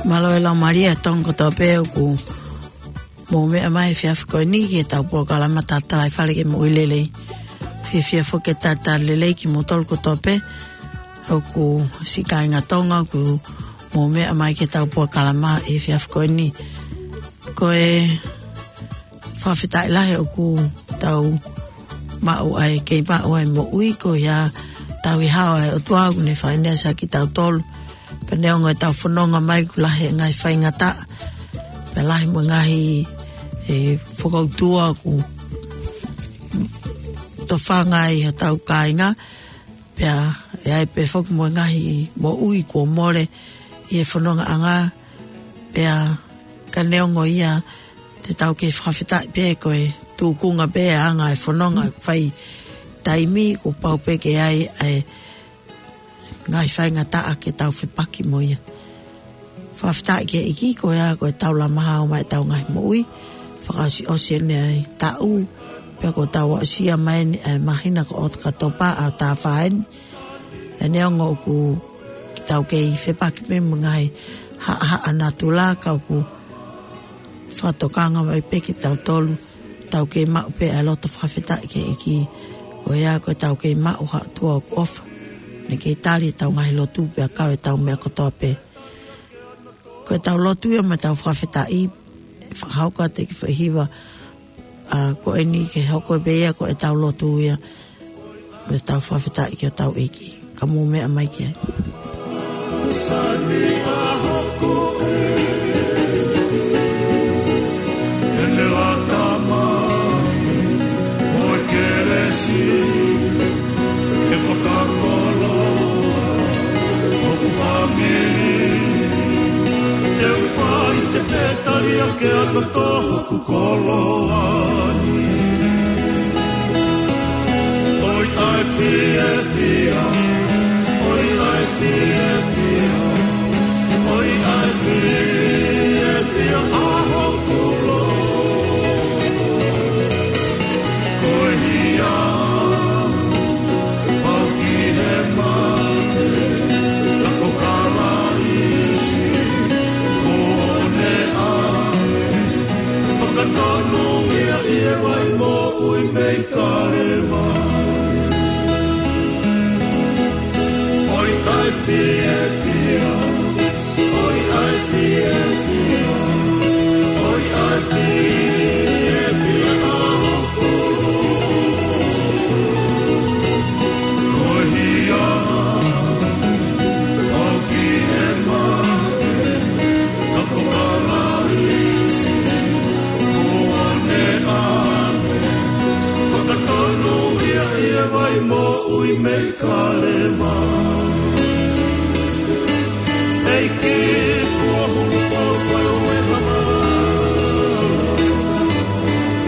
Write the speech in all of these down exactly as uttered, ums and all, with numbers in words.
Mālō e laumālie ʻa e Tonga kotoa pē ʻoku mou meʻa mai he efiafi ko eni ki heʻetau polokalama Tatalaifale ke Moʻui Lelei. Fiefia foki ke talitali lelei kimoutolu kotoa pē ʻoku siʻi kāinga Tonga ʻoku mou meʻa mai ki heʻetau polokalama he efiafi ko eni. Ko e fakafetaʻi lahi ʻoku tau maʻu ai, kei maʻu ai moʻui ko ia tauhi hao ʻa e ʻOtua ʻoku ne fai ʻeni ʻa kitautolu. Pea neongo ʻetau fononga mai ʻoku lahi e ngaahi faingataʻa, pea lahi mo e ngaahi, e, fakautua ʻoku tofanga ai hotau kāinga, pea ʻe ai pē foki mo e ngaahi moʻui kuo mole ʻi he fonongaʻanga, pea ka neongo ia te tau kei fakafetaʻi pē ko e tūkunga pē ʻa e anga e fononga fai taimi kuo pau pē ke ʻi ai ʻa e ngaahi faingataʻa ke tau fepaki mo ia. Fakafetaʻi ki he ʻEiki ko ia ko e tau lama hao mai ʻetau ngaahi moʻui. Fakaʻosiʻosi ʻeni ʻa e taʻu, pea kuo tau aʻusia mai ʻeni ʻa e māhina ko ʻOkatopa ʻa e taʻu fā ʻeni. ʻE neongo ʻoku tau kei fepaki pē mo e ngaahi haʻahaʻa natula ka ʻoku fakatokanga mai pē kitautolu tau kei maʻu pē ʻa e loto fakafetaʻi ki he ʻEiki. Ko ia ko e tau kei maʻu ha ʻOtua ʻoku ʻofa. Ne kei tali ʻetau ngaahi lotu pea kau ʻetau meʻa kotoa pē. Ko ʻetau lotu ia mo ʻetau fakafetaʻi, fakahoko atu e kiʻi foʻi hiva, ʻa, ko eni ke hoko pē ia ko ʻetau lotu ia mo ʻetau fakafetaʻi ki hotau ʻEiki. Ka mou meʻa mai ki ai. Sani ʻa hoku ʻEiki, ʻene lata mai mo e kelesi ke fakakoloa hoku fāmili. Te u fai te te tali ake ʻa e loto hoku koloa ni. ʻOi ʻai fiefia, ʻoi ʻai fiefia, ʻoi ʻai fiefia ʻa hoku loto. Ko e hia pau ki he mate, ka ko Kalaisi kuo ne ʻave, fakatonu ia ʻi he vai moʻui mei Kalevale. ʻOi ʻai fiefia, ʻoi ʻai fiefia, ʻoi ʻai fiefia ʻa hoku loto. Ko e hia pau ki he mate, ka ko Kalaisi kuo ne ʻave, fakatonu ia ʻi he vai moʻui mei Kalevale. ʻEiki kuo hulu fau fai ʻo e hana,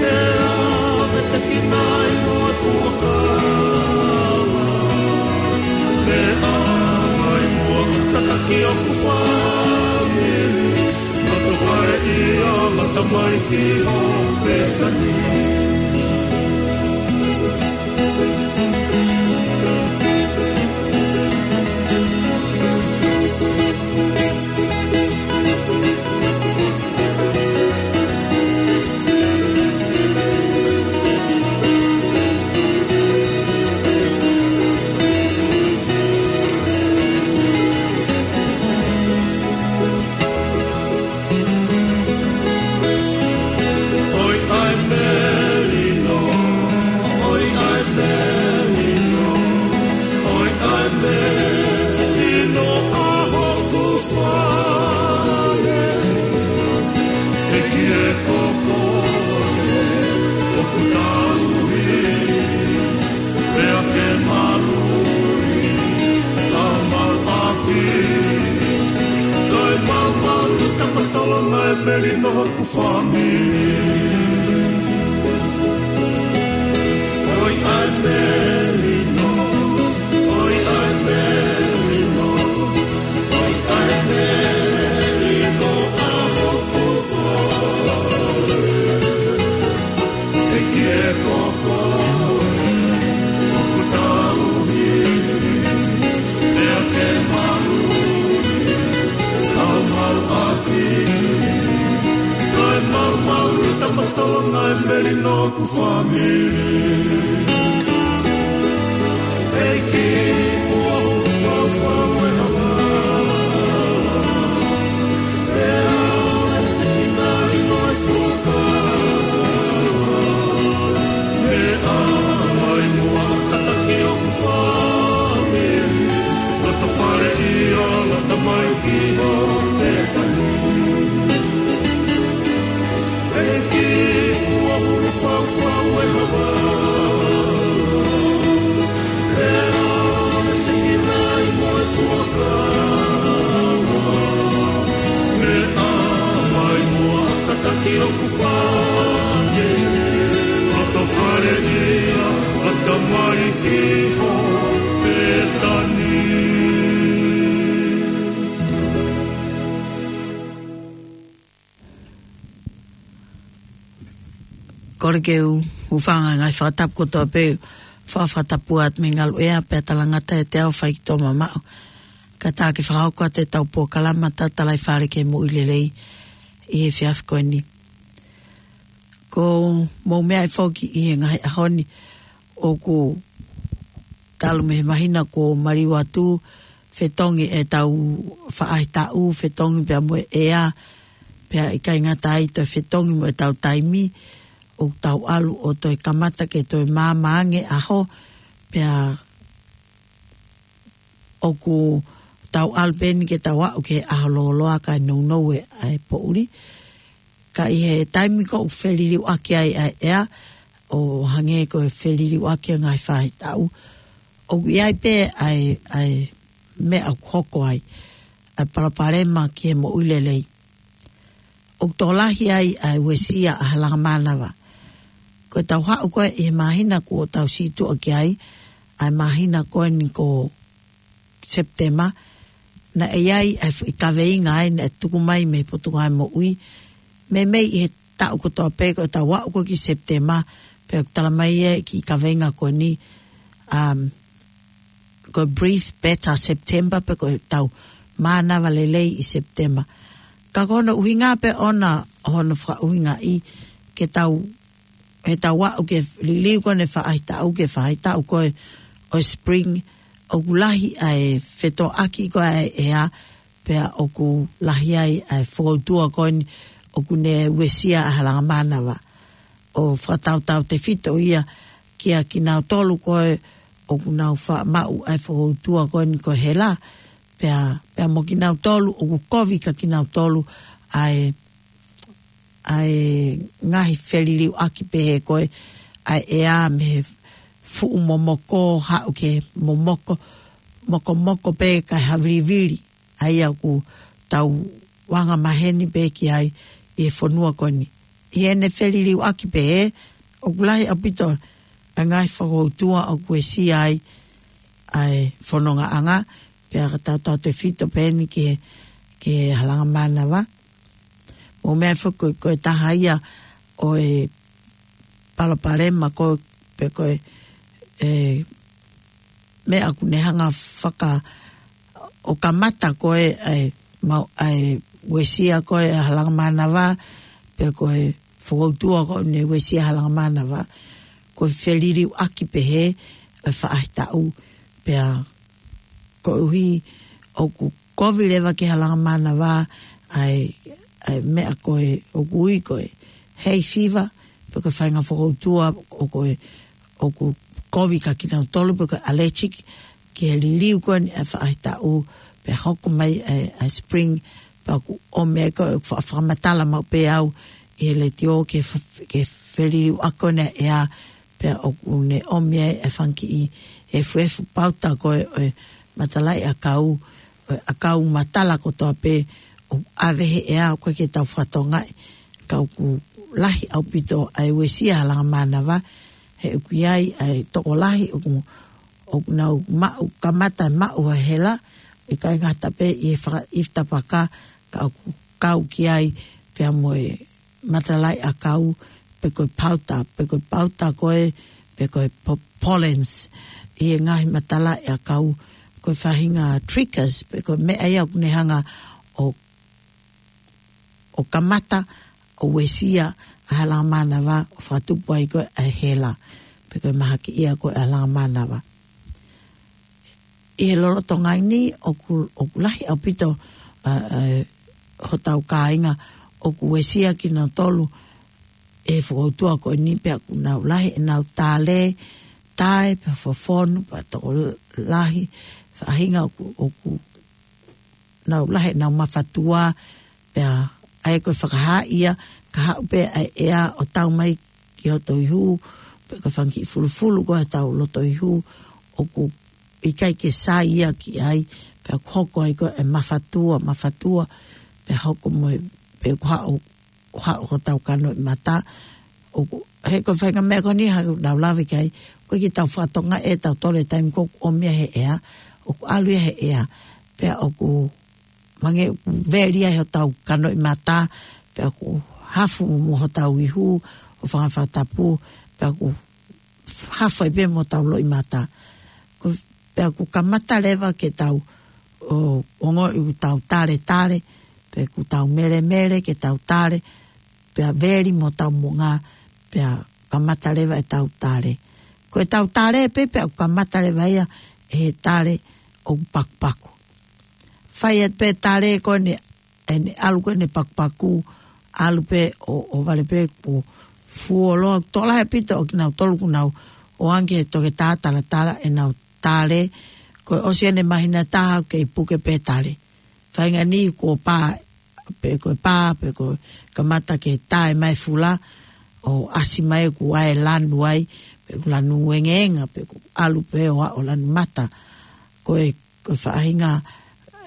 ʻe ʻave te kinaʻi mo e fuakava. Pea mai muʻa tataki hoku fāmili, loto fale ia ma tamaiki ʻo Petani. ʻOi ʻai melino, ʻoi ʻai melino, ʻoi ʻai melino ʻa hoku fale. ʻEiki e, ko koe ʻoku tauhi, pea ke maluʻi ʻa homau ʻapi. Kae maumau tapa tolonga e melino hoku fāmili. ʻOi ʻai melino, ʻoi ʻai melino, ʻoi ʻai melino ʻa hoku fale. ʻEiki e, ko koe ʻoku tauhi, pea ke maluʻi ʻa homau ʻapi. Family. Thank you. Kole ke u hūfanga he ngaahi fakatapu kotoa pē, fa-, fakatapu atu mei he ngaluʻea pea talangata ʻiate au faikito mamaʻo. Ka tā ke fakahoko atu ʻetau polokalama Tatalaifale ki he Moʻui Lelei ʻi he efiafi ko eni. Ko e mou meaʻi foki ʻi he ngaahi ʻaho ni ʻoku talu mei he māhina kuo maliu atu, fetongi ʻetau faʻahitaʻu, fetongi pea mo e ʻea, pea ʻikai ngata ai toe fetongi mo ʻetau taimi, ʻoku tau ʻalu ʻo toe kamata ke toe maama ange ʻaho, pea ʻoku tau ʻalu pē eni ke tau aʻu ki he ʻaho lōloa kae nounou e ʻa e poʻuli. Ka ʻi he taimi ko ē ʻoku feliliuaki ai ʻa e ʻea, ʻo hangē ko e feliliuaki ʻa e ngaahi faʻahitaʻu, ʻoku ʻi ai pē ʻa e, ʻa e meʻa ʻoku hoko ai, ʻa e palopalema ki he moʻui lelei. ʻOku tokolahi ai ʻa e uesia ʻa e halanga mānava. Ko ʻetau haʻu ko ē ʻi he māhina kuo tau situʻa ki ai, ʻa e māhina ko eni ko Sepitema, naʻe ʻi ai ʻa e foʻi kaveinga ai naʻe tuku mai mei he Potungāue Moʻui. Meimei ʻi he taʻu kotoa pē ko ʻetau aʻu ko ē ki Sepitema, pea ʻoku tala mai ʻe he kiʻi kaveinga ko eni, um, ko e Breathe Better September, pe ko ʻetau mānava lelei ʻi Sepitema. Ka ko hono ʻuhinga pē ʻona, hono fakaʻuhingaʻi ke tau, ʻetau aʻu ki he liliu ko eni e faʻahitaʻu ki he faʻahitaʻu ko ē ʻo e spring, ʻoku lahi ʻa e fetoʻaki ko ē ʻa e ʻea, pea ʻoku lahi ai ʻa e fokoutua ko eni ʻoku ne uesia ʻa e halanga mānava. ʻO fakatautautefito ia kia kinautolu ko ē ʻoku nau faʻa maʻu ʻa e fokoutua ko eni ko e hela, pea, pea mo kinautolu ʻoku kovi kia kinautolu ʻa e, ʻa e ngaahi feliliuaki pehē ko ē ʻa e ʻea mei he fuʻu momoko haʻu ki he momoko, mokomoko pē kae havilivili, ʻa ia ʻoku tau anga maheni pē ki ai ʻi he fonua ko eni. ʻI heʻene feliliuaki pehē, ʻoku lahi ʻaupito ʻa e ngaahi fokoutua ʻoku uesia ai ʻa e fonongaʻanga, pea fakatautautefito pē eni ki he, ki he halanga mānava. Mou meaʻi foki ko e, ko e taha ia ʻo e palopalema ko ē, pe ko e, e, meʻa ʻoku ne hanga faka-, ʻo kamata ko ē, ʻa e, mau, ʻa e uesia ko ē ʻa e halanga mānava, pe ko e fokoutua ko ē ne uesia halanga mānava, ko e feliliuaki pehē ʻa e faʻahitaʻu, pea koeʻuhi ʻoku kovi leva ki he halanga mānava ʻa e, ʻa e meʻa ko ē ʻoku ui ko e hay fever, pe ko e faʻahinga fokoutua ʻoku, ʻoku kovi kia kinautolu, pe ko e allergic ki he liliu ko eni ʻa e faʻahitaʻu, pea hoko mai ʻa e, ʻa e spring, pea ʻoku ʻomi ai ko ē, ʻoku fa-, fakamatala maʻu pē au ʻi he letiō ki he f-, ki he feliliuaki ko eni ʻa e ʻea, pea ʻoku ne ʻomi ai e fanga kiʻi efuefu pauta ko ē ʻo e matalaʻiʻakau, ʻo e ʻakau matala kotoa pē ʻoku ʻave he ʻea, ʻoku ʻikai ke tau fakatokangaʻi, ka ʻoku lahi ʻaupito ʻa e uesia halanga mānava, he ʻoku ʻi ai ʻa e tokolahi ʻoku, ʻoku nau maʻu, kamata maʻu ha hela, ʻikai ngata pē ʻi he faka-, ʻi he tapaka, ka ʻoku kau ki ai pea mo e matalaʻiʻakau, pe ko e pauta, pe ko e pauta ko ē, pe ko e po-, pollens, ʻi he ngaahi matalaʻiʻakau, ko e faʻahinga triggers, pe ko e meʻa ia ʻoku ne hanga ʻo, ʻo kamata, ʻo uesia ʻa e halanga mānava, ʻo fakatupu ai ko ē ʻa e hela, pe ko e mahakiʻia ko ē ʻa e halanga mānava. ʻI he lolotonga ni, ʻoku, ʻoku lahi ʻaupito, ʻa, ʻa, hotau kāinga, ʻoku uesia kinautolu ʻe he fokoutua ko eni pea ʻoku nau lahi ʻenau tale, tae, pea fofonu, pea tokolahi, faʻahinga ʻoku, ʻoku nau lahi ʻenau mafatua, pea ʻa ia ko e fakahā ia, ka haʻu pē ʻa e ʻea ʻo tau mai ki hoto ihu, pe ko e fanga kiʻi fulufulu ko ē hotau loto ihu, ʻoku ʻikai ke sai ia ki ai, pea ʻoku hoko ai ko ē ʻa e mafatua, mafatua, pea hoko mo e, pe ʻoku haʻu, haʻu hotau kanoʻimata, ʻoku, he ko e faʻahinga meʻa ko eni ʻoku nau lave ki ai, ʻoku ʻikai ke tau fakatokangaʻi ʻe tautolu e taimi ko ē ʻoku ʻomi ia he ʻea, ʻoku ʻalu ia he ʻea, pea ʻoku hangē ʻoku veli ai hotau kanoʻimata, pea ʻoku hafu mo hotau ihu, ʻo fanga fakatapu, pea ʻoku hafu ai pē mo hotau loʻimata. Ko, pea ʻoku kamata leva ke tau, ʻo, ongoʻi ʻoku tau tale tale, pe ʻoku tau melemele ke tau tale, pea veli mo hotau moʻunga, pea kamata leva ʻetau tale. Ko ʻetau tale pē, pea ʻoku kamata leva ia ʻe he tale ʻoku pakupaku. Fai atu pē tale ko eni, ʻene ʻalu ko eni pakupaku, ʻalu pē ʻo, ʻo vale pē ʻoku fuoloa, tokolahi ʻaupito ʻo kinautolu ʻoku nau ō ange ki he toketā talatala ʻenau tale, ko e ʻosi ʻene māhina ʻe taha ʻoku kei puke pē tale. Faʻahinga ni kuo pā, pe ko e pā, pe ko e kamata ke tae mai fula, ʻo ʻasi mai ʻoku ʻi ai e lanu ai, pe ʻoku lanu engeenga, pe ʻoku ʻalu pē ʻo aʻu ʻo lanu mata. Ko e, ko e faʻahinga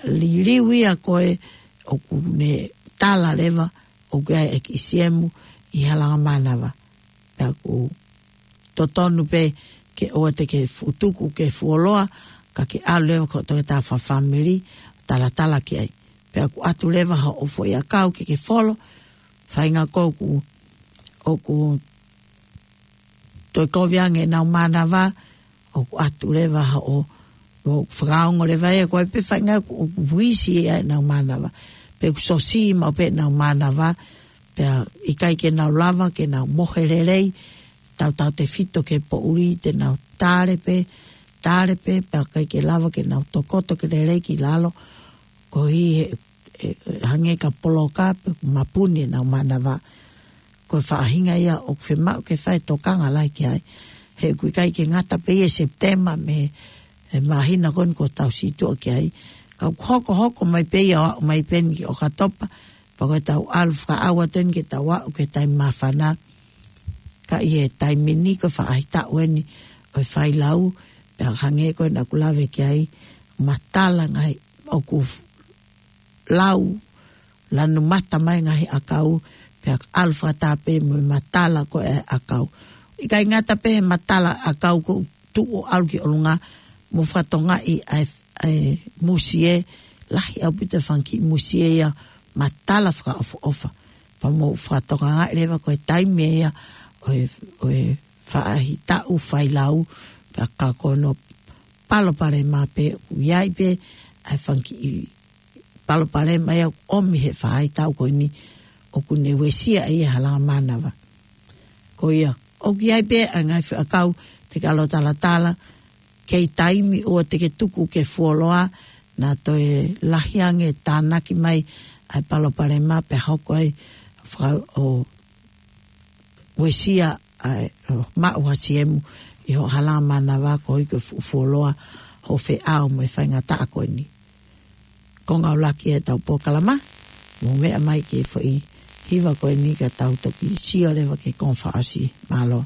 liliu ia ko ē ʻoku ne tala leva, ʻoku ʻi ai e kiʻi siemu ʻi he halanga mānava. Pea ʻoku totonu pē ke ʻoua te ke fuʻu tuku ke fuoloa, ka ke ʻalu leva ki hoʻo toketā fakafāmili, talatala ki ai. Pea ʻoku ʻatu leva haʻo foʻi ʻakau ke ke folo, faʻahinga ko ē ʻoku, ʻoku toe kovi ange ʻenau mānava, ʻoku ʻatu leva haʻo, ʻo fakaongo leva ia ko ē pe faʻahinga ʻoku, ʻoku uisi ia ʻenau mānava. Pe ʻoku sosi maʻu pē ʻenau mānava, pea ʻikai ke nau lava ke nau mohe lelei, tautautefito ki he poʻuli te nau tale pē, tale pē, pea ʻikai ke lava ke nau tokoto ke lelei ki lalo, koeʻuhi he, e, e, hangē ka poloka pe ʻoku mapuni ʻenau mānava. Ko e faʻahinga ia ʻoku fiemaʻu ke fai e tokanga lahi ki ai. He ʻoku ʻikai ke ngata pē ia ʻi Sepitema mei he māhina ko eni kuo tau situʻa ki ai. Ka ʻoku hokohoko mai pē ia ʻo aʻu mai pē eni ki ʻOkatopa, pea ko ʻetau ʻalu fakaʻau atu eni ke tau aʻu ki he taimi māfana. Ka ʻi he taimi ni ko e faʻahitaʻu eni ʻo e failau, pea hangē ko ē naʻá ku lave ki ai, matala ngaahi ʻoku f-, lau, lanu mata mai ngaahi ʻakau, pea ʻalu fakataha pē mo e matala ko ē ʻakau. ʻIkai ngata pē he matala ʻakau ko ē tuʻu ʻo ʻalu ki ʻolunga, mou fakatokangaʻi ʻa e, ʻa e musie, lahi ʻaupito e fanga kiʻi musie ia matala fakaʻofoʻofa. Pea mou fakatokangaʻi leva ko e taimi ia ʻo e, ʻo e faʻahitaʻu failau, pea ka ko hono palopalema pē ʻoku ʻi ai pē ʻa e fanga kiʻi palopalema ia ʻoku ʻomi he faʻahitaʻu ko eni ʻoku ne uesia ai e halanga mānava. Ko ia, ʻoku ʻi ai pē ʻa e ngaahi foʻi ʻakau te ke ʻalu ʻo talatala, kei taimi ʻoua te ke tuku ke fuoloa, naʻa toe lahi ange e tānaki mai ʻa e palopalema pea hoko ai faka-, ʻo uesia ʻa e, ʻo maʻu ha siemu ʻi hoʻo halanga mānava koeʻuhi ko e fuʻu fuoloa hoʻo feʻao mo e faingataʻa ko eni. Konga ʻuluaki ʻetau polokalama, mou meʻa mai ki he foʻi hiva ko eni ka tau toki sio leva ki he konga fakaʻosi. Mālō.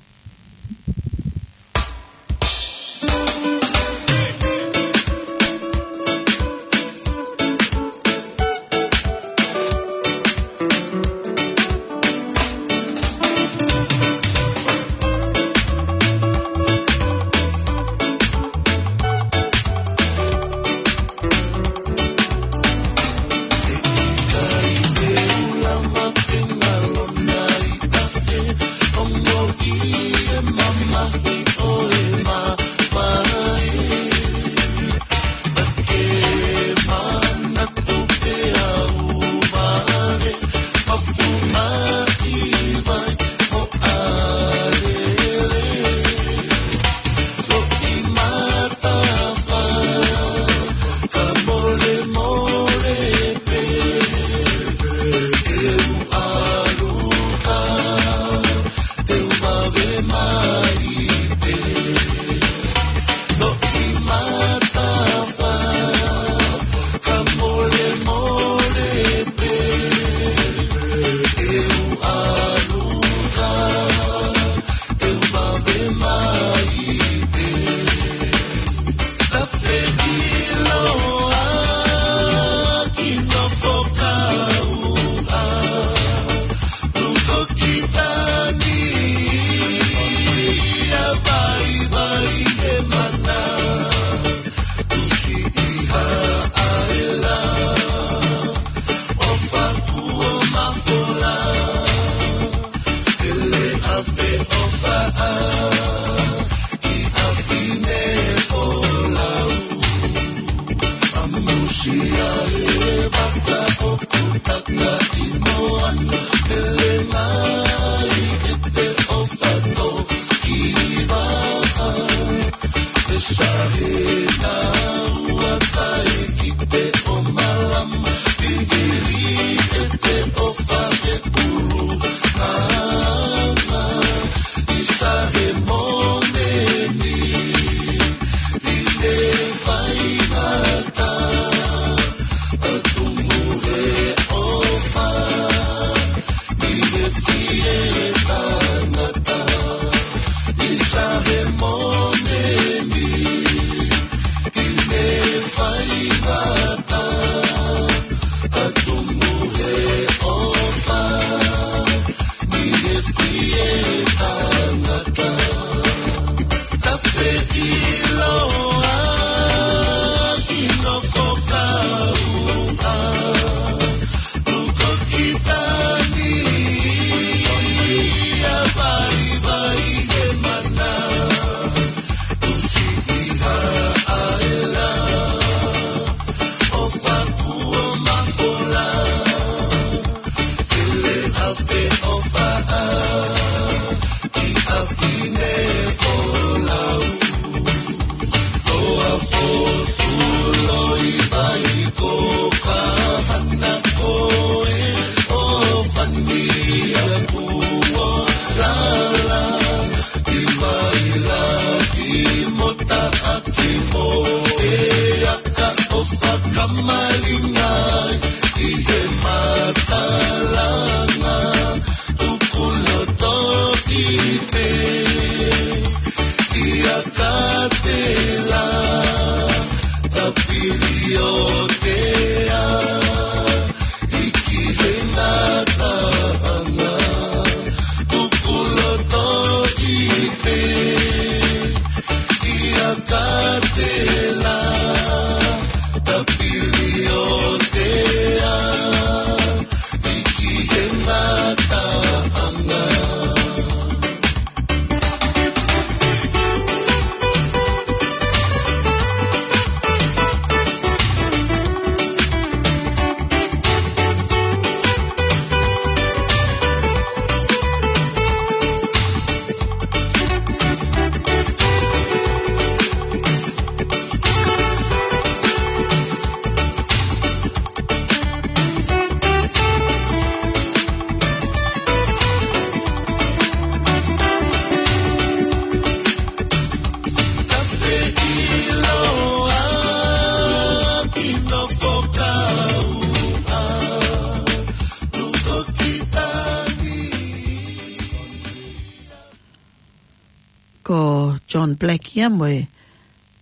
Ko John Black ia mo e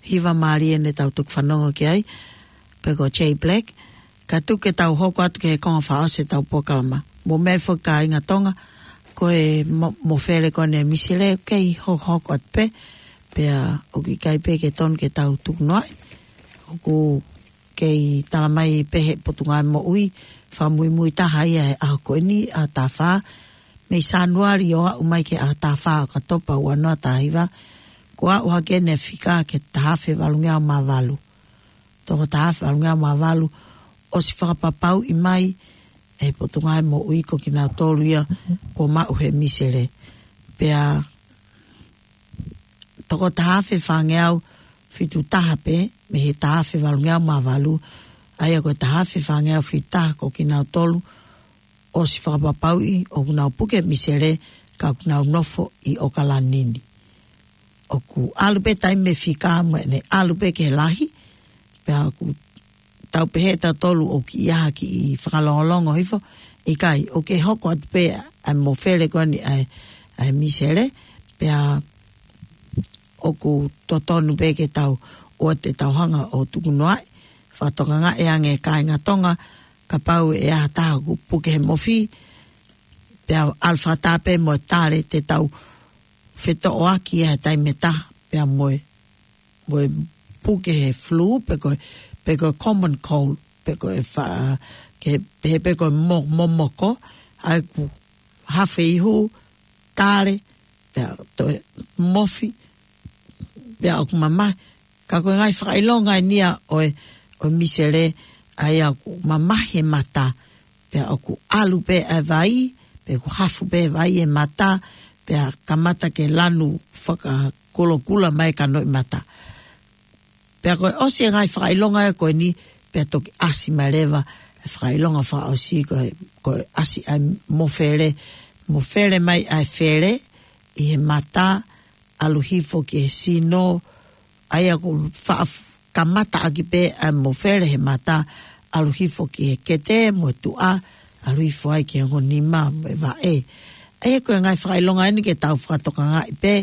hiva mālie ne tau toki fanongo ki ai, pe ko Jay Black, ka tuku ke tau hoko atu ki he konga fakaʻosi ʻetau polokalama. Mou meʻa foki kāinga Tonga, ko e mo-, mofele ko eni ʻa e misele, kei hokohoko atu pē, pea ʻoku ʻikai pē ke tonu ke tau tukunoaʻi. ʻOku kei tala mai pē ʻe he Potungāue Moʻui, fakamuimui taha ia he ʻaho ko eni, ʻaho taha fā, mei Sānuali ʻo aʻu mai ki he ʻaho taha fā ʻo ʻOkatopa ua noa taha hiva, kuo aʻu hake ʻene fika ki he taha afe valungeau mā valu. Toko taha afe valungeau mā valu, ʻosi fakapapauʻi mai ʻe he Potungāue Moʻui ko kinautolu ia kuo maʻu he misele. Pea toko taha afe fāngeau fitu taha pē, mei he taha afe valungeau mā valu, ʻa ia ko e taha afe fāngeau fitu taha ko kinautolu ʻosi fakapapauʻi ʻoku nau puke misele ka ʻoku nau nofo ʻi ʻOkalani ni. ʻOku ʻalu pē taimi e fika mo ʻene ʻalu pē ki he lahi, pea ʻoku tau pehē tautolu ʻoku ʻi ai ha kiʻi fakalongolongo hifo, ʻikai, ʻoku kei hoko atu pē ʻa e mofele ko eni ʻa e, ʻa e misele, pea ʻoku totonu pē ke tau, ʻoua te tau hanga ʻo tukunoaʻi, fakatokangaʻi ange kāinga Tonga, kapau ʻe ʻi ai ha taha ʻoku puke he mofi, pea ʻalu fakataha pē mo e tale te tau fetoʻoaki ʻi he taimi ʻe taha, pea mo e, mo e puke he flu, pe ko e, pe ko e common cold, pe ko e fa-, ke, pe, pe ko e mo-, momoko, ʻa ia ʻoku hafe ihu, tale, pea toe mofi, pea ʻoku mamahi, ka ko e ngaahi fakaʻilonga eni ia ʻo e, ʻo e misele, ʻa ia ʻoku mamahi e mata, pea ʻoku ʻalu pē ʻa e vai, pe ʻoku hafu pē vai e mata, pea kamata ke lanu fakakulokula mai e kanoʻi mata. Pea ko e ʻosi e ngaahi fakaʻilonga ia ko eni, pea toki ʻasi mai leva e fakaʻilonga fakaʻosi ko e, ko e ʻasi ʻa e mofele, mofele mai ʻa e fele ʻi he mata, ʻalu hifo ki he sino, ʻa ia ʻoku fa-, kamata ʻaki pē ʻa e mofele he mata, ʻalu hifo ki he kete mo e tuʻa, ʻalu hifo ai ki he ongo nima mo e vaʻe. ʻA ia ko e ngaahi fakaʻilonga eni ke tau fakatokangaʻi pē,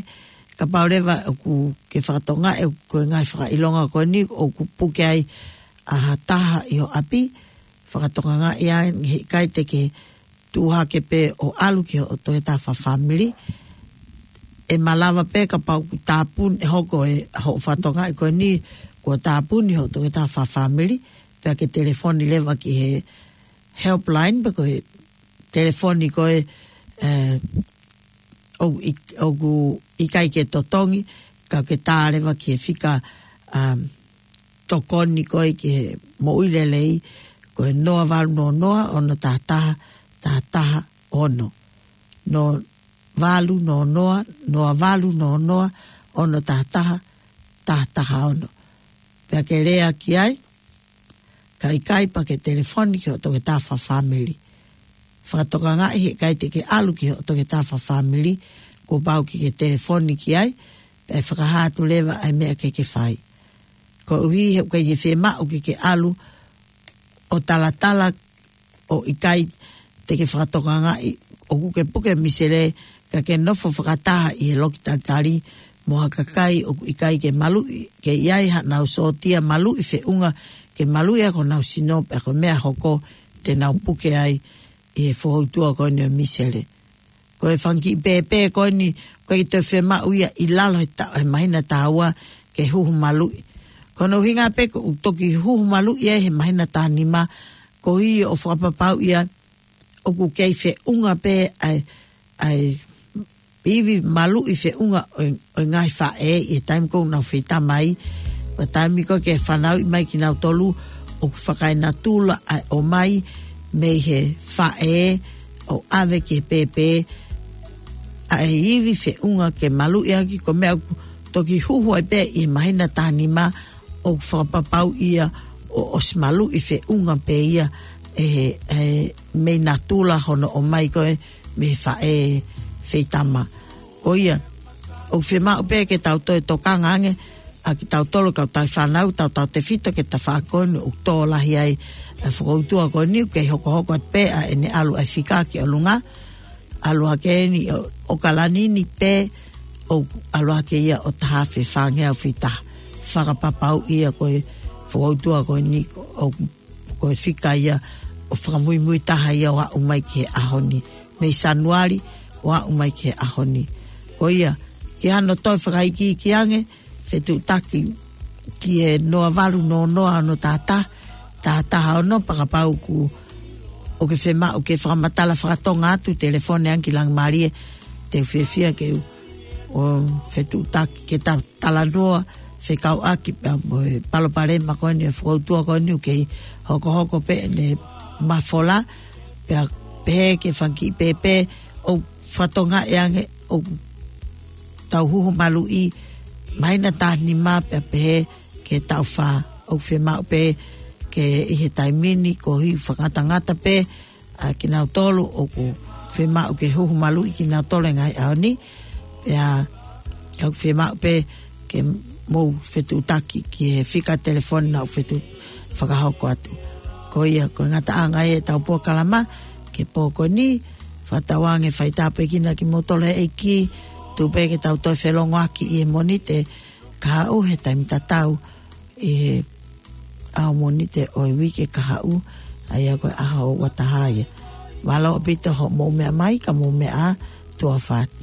kapau leva ʻoku ke fakatokangaʻi ʻoku ko e ngaahi fakaʻilonga ko eni ʻoku puke ai ʻa ha taha ʻi ho ʻapi, fakatokangaʻi ai he ʻikai te ke tuʻu hake pē ʻo ʻalu ki hoʻo toketā fakafāmili. ʻE malava pē kapau ʻoku tāpuni, ʻe hoko ʻe hoʻo fakatokangaʻi ko eni kuo tāpuni hoʻo toketā fakafāmili, pea ke telefoni leva ki he helpline, pe ko e telefoni ko ē, ē, ʻoku ik-, ʻoku ʻikai ke totongi, ka ke tā leva ki he fika, um, tokoni ko ē ki he moʻui lelei, ko e noa valu noa noa, ono taha taha, taha taha ono. Noa valu noa noa, noa valu noa noa, ono taha taha, taha taha ono. Pea ke lea ki ai, ka ʻikai pea ke telefoni ki hoʻo toketā fakafāmili. Fakatokangaʻi he ʻikai te ke ʻalu ki hoʻo toketā fakafāmili, kuo pau ke ke telefoni ki ai, pea ʻe fakahā atu leva ʻa e meʻa ke ke fai. Koeʻuhi he ʻoku ʻikai ke fiemaʻu ke ke ʻalu ʻo talatala ʻo ʻikai te ke fakatokangaʻi ʻoku ke puke misele, ka ke nofo fakataha ʻi he loki talitali mo ha kakai ʻoku ʻikai ke maluʻi, ke ʻi ai haʻanau sōtia maluʻi feʻunga ke maluʻi ʻaki honau sino, pea ko e meʻa hoko te nau puke ai ʻi he fokoutua ko eni ʻo e misele. Ko e fanga kiʻi pēpē ko eni, ʻoku ʻikai toe fiemaʻu ia ʻi lalo he ta-, he māhina taha ua ke huhu maluʻi. Ko hono ʻuhinga pē ko ʻeku toki huhu maluʻi ai he māhina taha nima, koeʻuhi ʻoku fakapapauʻi ia ʻoku kei feʻunga pē ʻa e, ʻa e ivi maluʻi feʻunga ʻo e, ʻo e ngaahi faʻē ʻi he taimi ʻoku nau feitama ai. Ko e taimi ko ē ke fanauʻi mai kinautolu ʻoku fakaenatula ʻa e ʻomai mei he faʻē ʻo ʻave ki he pēpē ʻa e ivi feʻunga ke maluʻi ʻaki, ko e meʻa ʻoku toki huhu ai pē ʻi he māhina taha nima ʻoku fakapapauʻi ia ʻo ʻosi maluʻi feʻunga pē ia ʻe he, ʻe he mei natula hono ʻomai ko ē mei he faʻē feitama. Ko ia, ʻoku fiemaʻu pē ke tau toe tokanga ange ʻa kitautolu kau tauhi fānau, tautautefito ki he tafaʻaki ko eni ʻoku tō lahi ai ʻa e fokoutua ko eni, ʻoku kei hokohoko atu pē ʻa ʻene ʻalu ʻa e fika ki ʻolunga, ʻalu hake eni ʻo, ʻo ʻAokalani ni pē, ʻo ʻalu hake ia ʻo taha afe fāngeau fā taha. Fakapapauʻi ia ko e fokoutua ko eni ʻoku ko e fika ia ʻoku fakamuimui taha ia ʻo aʻu mai ki he ʻaho ni. Mei Sānuali ʻo aʻu mai ki he ʻaho ni. Ko ia, ke hano toe fakaikiiki ange, fetuʻutaki ki he noa valu noa noa ono taha taha, taha taha ono, pea kapau ʻoku, ʻoku ke fiemaʻu ke fakamatala fakatonga atu, telefoni ange ki Langimalie, te u fiefia ke u, ʻo fetuʻutaki ke ta talanoa fekauʻaki pea mo e palopalema ko eni ʻo e fokoutua ko eni ʻoku kei hokohoko pē ʻene mafola, pea pehē ki he fanga kiʻi pēpē ʻoku fakatokangaʻi ange ʻoku tau huhu maluʻi māhina taha nima pea pehē ki he taʻu fā, ʻoku fiemaʻu pē ke ʻi he taimi ni koeʻuhi ʻoku fakangatangata pē ʻa kinautolu ʻoku fiemaʻu ke huhu maluʻi kinautolu he ngaahi ʻaho ni. Pea ʻoku fiemaʻu pē ke mou fetuʻutaki ki he fika telefoni naʻa ku fetuʻu fakahoko atu. Ko ia, ko e ngataʻanga ia ʻetau polokalama ki he pō ko eni, fakatauange fai tāpuekina kimoutolu ʻe he ʻEiki, tuku pē ke tau toe felongoaki ʻi he Mōnite kahaʻu he taimi tatau ʻi he ʻaho Mōnite ʻo e uike kahaʻu, ʻa ia ko e ʻaho ua taha ia. Mālō ʻaupito hoʻomou meʻa mai, ka mou meʻa ā, tuʻa ʻofa atu.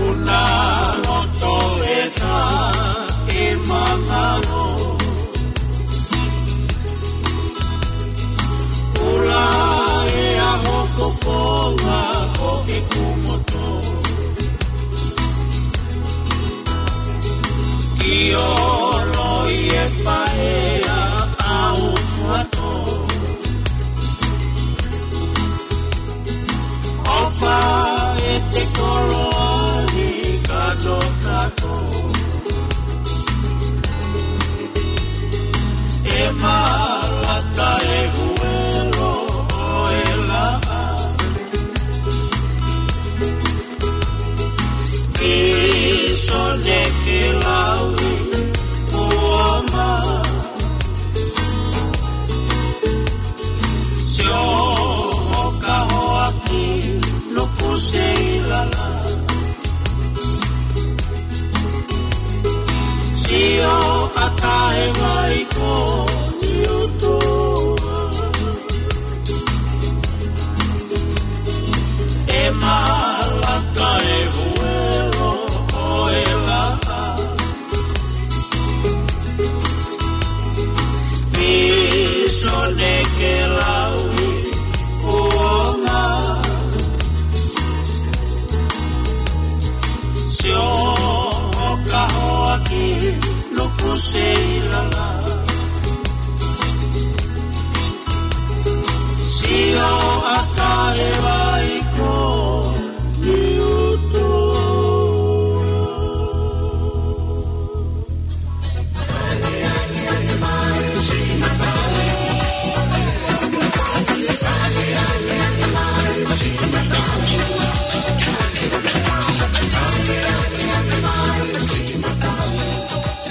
Una loto ʻeta e mangalo. Ula e ʻaho fofonga ko e kumoto. Ki olo i e paea au fuato. ʻOfa e te koloa ni katokato. E ʻa Taʻe Vaiko.